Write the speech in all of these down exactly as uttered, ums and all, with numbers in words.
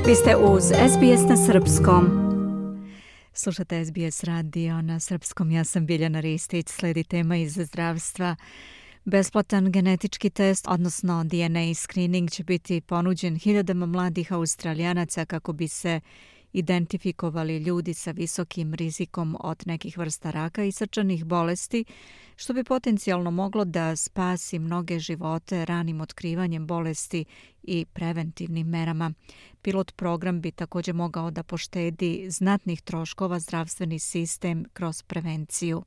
Vi ste uz S B S na srpskom. Slušate S B S radio na srpskom. Ja sam Biljana Ristić. Sledi tema iz zdravstva. Besplatan genetički test, odnosno D N A screening, će biti ponuđen hiljadama mladih Australijanaca kako bi se identifikovali ljudi sa visokim rizikom od nekih vrsta raka i srčanih bolesti, što bi potencijalno moglo da spasi mnoge živote ranim otkrivanjem bolesti i preventivnim merama. Pilot program bi također mogao da poštedi znatnih troškova zdravstveni sistem kroz prevenciju.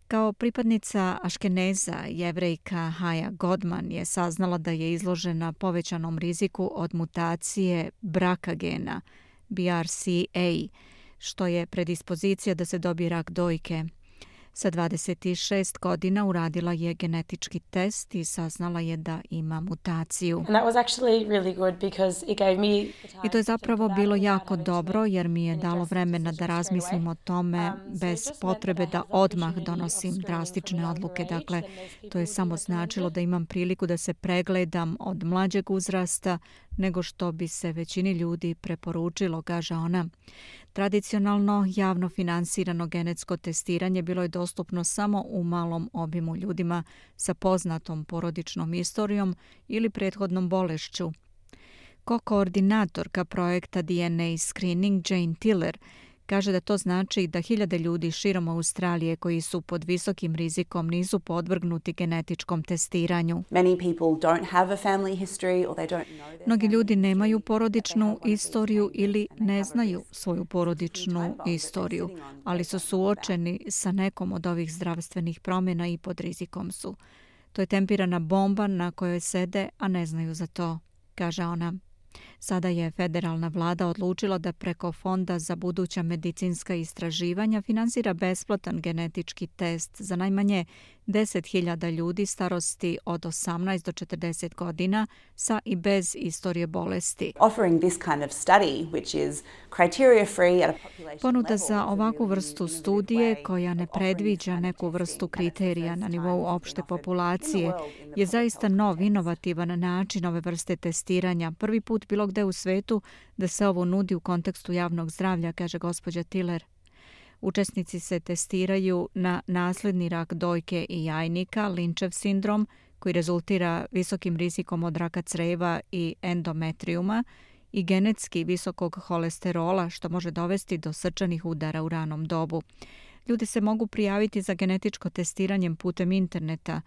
Kao pripadnica Aškeneza, Jevrejka Haja Godman je saznala da je izložena povećanom riziku od mutacije braka gena, B R C A, što je predispozicija da se dobije rak dojke. Sa dvadeset šest godina uradila je genetički test i saznala je da ima mutaciju. I to je zapravo bilo jako dobro jer mi je dalo vremena da razmislim o tome bez potrebe da odmah donosim drastične odluke. Dakle, to je samo značilo da imam priliku da se pregledam od mlađeg uzrasta nego što bi se većini ljudi preporučilo, kaže ona. Tradicionalno javno finansirano genetsko testiranje bilo je dostupno samo u malom obimu ljudima sa poznatom porodičnom istorijom ili prethodnom bolešću. Ko-koordinatorka projekta D N A Screening Jane Tiller kaže da to znači da hiljade ljudi širom Australije koji su pod visokim rizikom nisu podvrgnuti genetičkom testiranju. Mnogi ljudi nemaju porodičnu istoriju ili ne znaju svoju porodičnu istoriju, ali su suočeni sa nekom od ovih zdravstvenih promjena i pod rizikom su. To je tempirana bomba na kojoj sede, a ne znaju za to, kaže ona. Sada je federalna vlada odlučila da preko Fonda za buduća medicinska istraživanja finansira besplatan genetički test za najmanje deset hiljada ljudi starosti od osamnaest do četrdeset godina sa i bez istorije bolesti. Ponuda za ovakvu vrstu studije koja ne predviđa neku vrstu kriterija na nivou opšte populacije je zaista nov, inovativan način ove vrste testiranja. Prvi put bilo gde u svetu da se ovo nudi u kontekstu javnog zdravlja, kaže gospođa Tiller. Učesnici se testiraju na nasledni rak dojke i jajnika, Lynchov sindrom, koji rezultira visokim rizikom od raka creva i endometrijuma, i genetski visokog holesterola, što može dovesti do srčanih udara u ranom dobu. Ljudi se mogu prijaviti za genetičko testiranje putem interneta.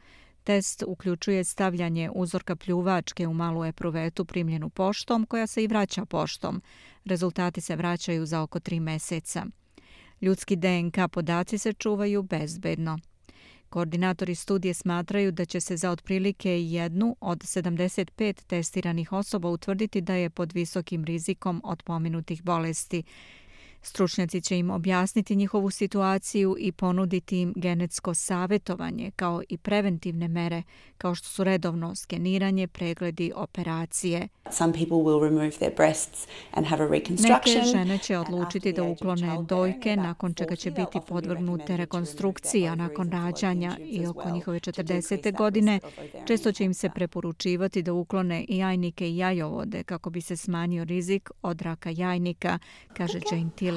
Test uključuje stavljanje uzorka pljuvačke u malu epruvetu primljenu poštom, koja se i vraća poštom. Rezultati se vraćaju za oko tri meseca. Ljudski D N K podaci se čuvaju bezbedno. Koordinatori studije smatraju da će se za otprilike jednu od sedamdeset pet testiranih osoba utvrditi da je pod visokim rizikom od pomenutih bolesti. Stručnjaci će im objasniti njihovu situaciju i ponuditi im genetsko savjetovanje kao i preventivne mere, kao što su redovno skeniranje, pregledi, operacije. Neke žene će odlučiti da uklone dojke, nakon čega će biti podvrgnute rekonstrukciji, a nakon rađanja i oko njihove četrdesete godine često će im se preporučivati da uklone i jajnike i jajovode kako bi se smanjio rizik od raka jajnika, kaže Jane Tiller.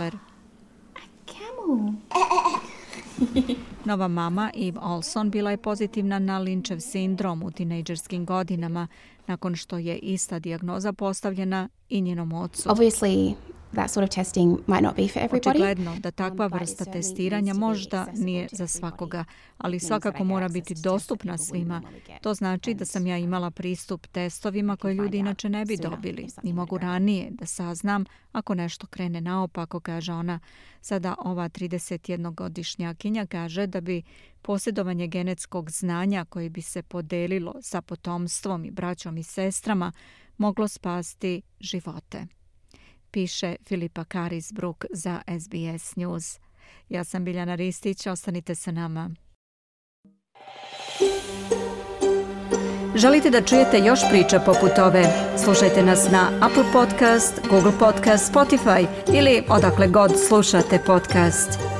Nova mama Eve Olson bila je pozitivna na Lynchov sindrom u tinejdžerskim godinama nakon što je ista dijagnoza postavljena i njenom ocu. Obviously, that sort of testing might not be for everybody. Očigledno da takva vrsta testiranja možda nije za svakoga, ali svakako mora biti dostupna svima. To znači da sam ja imala pristup testovima koje ljudi inače ne bi dobili i mogu ranije da saznam ako nešto krene naopako, kaže ona. Sada ova tridesetjednogodišnjakinja kaže da bi posjedovanje genetskog znanja koje bi se podelilo sa potomstvom i braćom i sestrama moglo spasti živote. Piše Filipa Karisbruk za S B S News. Ja sam Biljana Ristić, ostanite sa nama. Želite da čujete još priča poput ove? Slušajte nas na Apple Podcast, Google Podcast, Spotify ili odakle god slušate podcast.